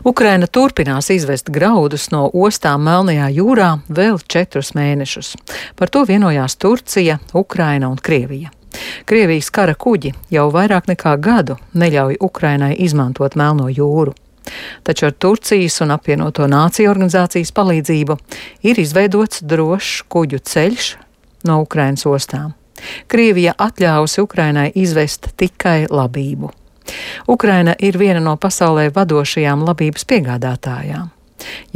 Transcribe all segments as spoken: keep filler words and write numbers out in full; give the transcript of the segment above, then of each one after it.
Ukraina turpinās izvest graudus no ostām Melnajā jūrā vēl četrus mēnešus. Par to vienojās Turcija, Ukraina un Krievija. Krievijas kara kuģi jau vairāk nekā gadu neļauj Ukrainai izmantot Melno jūru. Taču ar Turcijas un apvienoto nāciju organizācijas palīdzību ir izveidots drošs kuģu ceļš no Ukrainas ostām. Krievija atļāvusi Ukrainai izvest tikai labību. Ukraina ir viena no pasaulē vadošajām labības piegādātājām.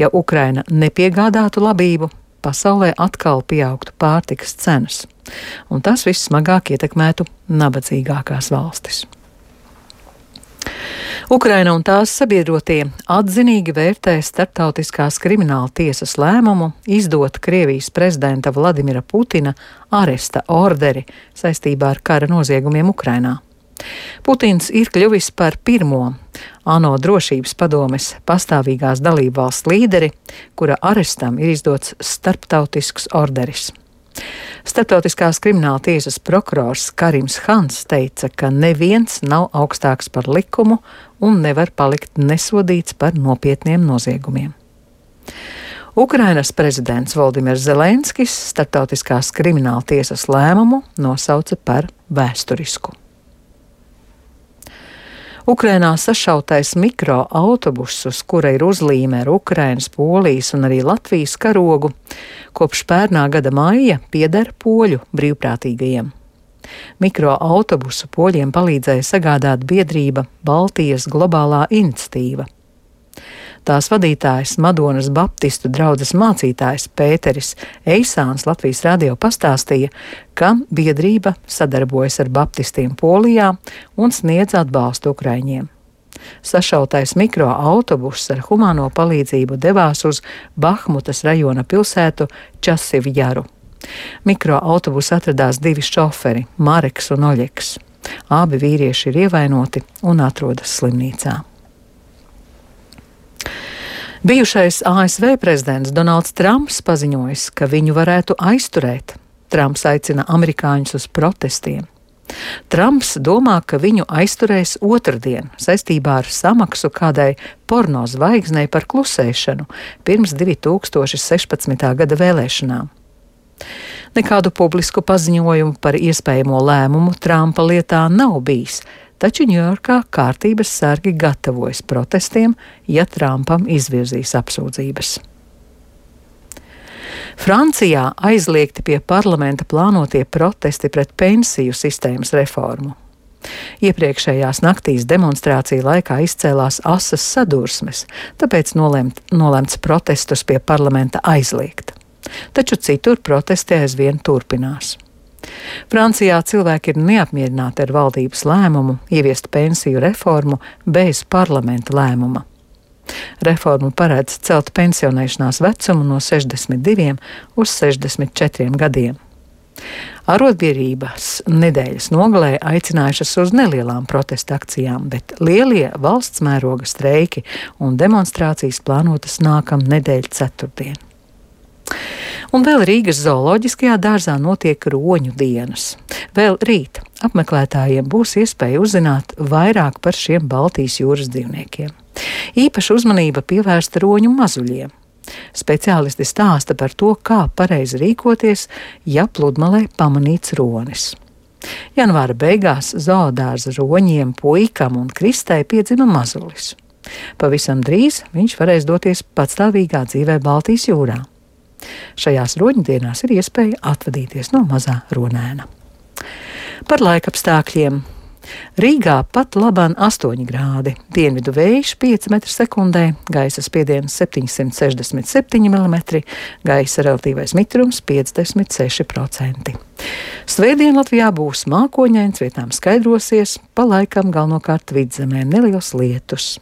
Ja Ukraina nepiegādātu labību, pasaulē atkal pieaugtu pārtikas cenas, un tas viss smagāk ietekmētu nabadzīgākās valstis. Ukraina un tās sabiedrotie atzinīgi vērtē starptautiskās krimināla tiesas lēmumu izdot Krievijas prezidenta Vladimira Putina aresta orderi saistībā ar kara noziegumiem Ukrainā. Putins ir kļuvis par pirmo ANO drošības padomes pastāvīgās dalībvalsts līderi, kura arestam ir izdots starptautisks orderis. Starptautiskās krimināla tiesas prokurors Karims Hans teica, ka neviens nav augstāks par likumu un nevar palikt nesodīts par nopietniem noziegumiem. Ukrainas prezidents Voldimirs Zelenskis starptautiskās krimināla tiesas lēmumu nosauca par vēsturisku. Ukrainā sašautais mikroautobuss, uz kura ir uzlīme ar Ukrainas, Polijas un arī Latvijas karogu, kopš pērnā gada maija pieder poļu brīvprātīgajiem. Mikroautobusu poļiem palīdzēja sagādāt biedrība Baltijas globālā iniciatīva. Tās vadītājs Madonas Baptistu draudzes mācītājs Pēteris Eisāns Latvijas radio pastāstīja, ka biedrība sadarbojas ar baptistiem Polijā un sniedz atbalstu ukraiņiem. Sašautais mikroautobuss ar humāno palīdzību devās uz Bahmutas rajona pilsētu Časivjaru. Mikroautobusā atradās divi šoferi, Mareks un Oļeks. Abi vīrieši ir ievainoti un atrodas slimnīcā. Bijušais A S V prezidents Donalds Trumps paziņojis, ka viņu varētu aizturēt. Trumps aicina amerikāņus uz protestiem. Trumps domā, ka viņu aizturēs otrdien saistībā ar samaksu kādai porno zvaigznei par klusēšanu pirms divi tūkstoši sešpadsmitā gada vēlēšanām. Nekādu publisku paziņojumu par iespējamo lēmumu Trumpa lietā nav bijis, taču Ņujorkā kārtības sargi gatavojas protestiem, ja Trumpam izvirzīs apsūdzības. Francijā aizliegti pie parlamenta plānotie protesti pret pensiju sistēmas reformu. Iepriekšējās naktīs demonstrāciju laikā izcēlās asas sadursmes, tāpēc nolemt, nolemts protestus pie parlamenta aizliegt. Taču citur protesti aizvien turpinās. Francijā cilvēki ir neapmierināti ar valdības lēmumu ieviest pensiju reformu bez parlamenta lēmuma. Reforma paredz celt pensionēšanās vecumu no sešdesmit diviem uz sešdesmit četriem gadiem. Arotbiedrības nedēļas nogalē aicinājušas uz nelielām protesta akcijām, bet lielie valsts mēroga streiki un demonstrācijas plānotas nākam nedēļu ceturtdien. Un vēl Rīgas zooloģiskajā dārzā notiek roņu dienas. Vēl rīt apmeklētājiem būs iespēja uzzināt vairāk par šiem Baltijas jūras dzīvniekiem. Īpaša uzmanība pievērsta roņu mazuļiem. Speciālisti stāsta par to, kā pareizi rīkoties, ja pludmalē pamanīts ronis. Janvāra beigās zoodārza roņiem, puikam un Kristai piedzima mazulis. Pavisam drīz viņš varēs doties patstāvīgā dzīvē Baltijas jūrā. Šajās roņdienās ir iespēja atvadīties no mazā ronēna. Par laikapstākļiem. Rīgā pat labāk astoņi grādi, dienvidu vējš pieci metri sekundē, gaisa spiediens septiņsimt sešdesmit septiņi milimetri, gaisa relatīvais mitrums piecdesmit seši procenti. Svētdien Latvijā būs mākoņains, vietām skaidrosies, pa laikam galvenokārt vidzemē neliels lietus.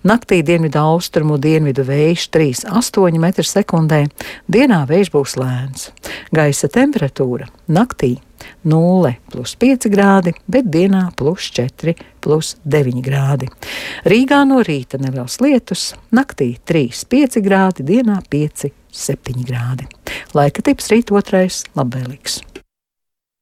Naktī dienvidu austrumu dienvidu vējš trīs astoņi metri sekundē, dienā vējš būs lēns. Gaisa temperatūra naktī nulle plus pieci grādi, bet dienā plus četri plus deviņi grādi. Rīgā no rīta neliels lietus, naktī trīs pieci grādi, dienā pieci septiņi grādi. Laika tips rīt otrais labvēlīgs.